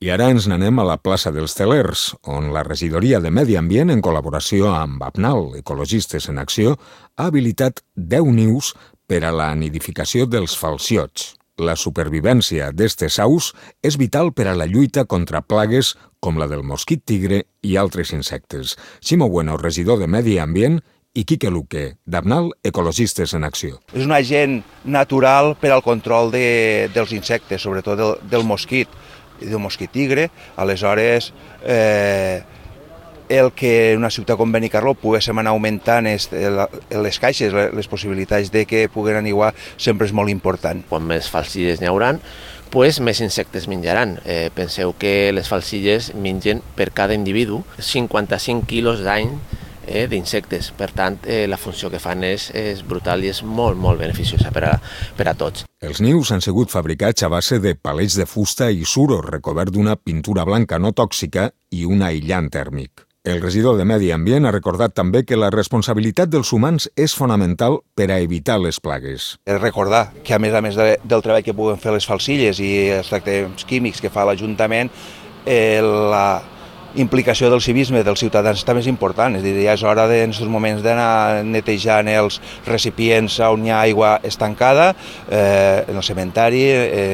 I ara ens n'anem a la plaça dels Telers, on la regidoria de Medi Ambient, en col·laboració amb APNAL, Ecologistes en Acció, ha habilitat 10 nius per a la nidificació dels falciots. La supervivència d'estes aus és vital per a la lluita contra plagues com la del mosquit tigre i altres insectes. Ximo Bueno, regidor de Medi Ambient, i Quique Luque, d'APNAL, Ecologistes en Acció. És un agent natural per al control dels insectes, sobretot del mosquit tigre. Aleshores, el que una ciutat com Benicarló poguéssim anar augmentant les caixes, les possibilitats de que puguen aniguar, sempre és molt important. Quan més falcilles n'hi haurà, més insectes menjaran. Penseu que les falcilles mengen per cada individu 55 quilos d'any d'insectes. Per tant, la funció que fan és brutal i és molt, molt beneficiosa per a tots. Els nius han sigut fabricats a base de palets de fusta i suro recobert d'una pintura blanca no tòxica i un aïllant tèrmic. El regidor de Medi Ambient ha recordat també que la responsabilitat dels humans és fonamental per a evitar les plagues. Recordar que, a més del treball que puguen fer les falcilles i els tractaments químics que fa l'Ajuntament, la implicació del civisme dels ciutadans també és important. És a dir, ja és hora en aquests moments d'anar netejant els recipients on hi ha aigua estancada, en el cementeri,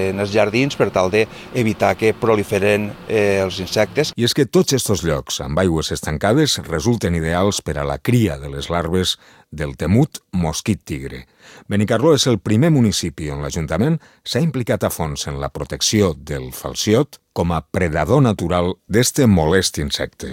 en els jardins, per tal d'evitar que proliferen els insectes. I és que tots aquests llocs amb aigües estancades resulten ideals per a la cria de les larves del temut mosquit tigre. Benicarló és el primer municipi on l'Ajuntament s'ha implicat a fons en la protecció del falciot com a predador natural d'este molest insecte.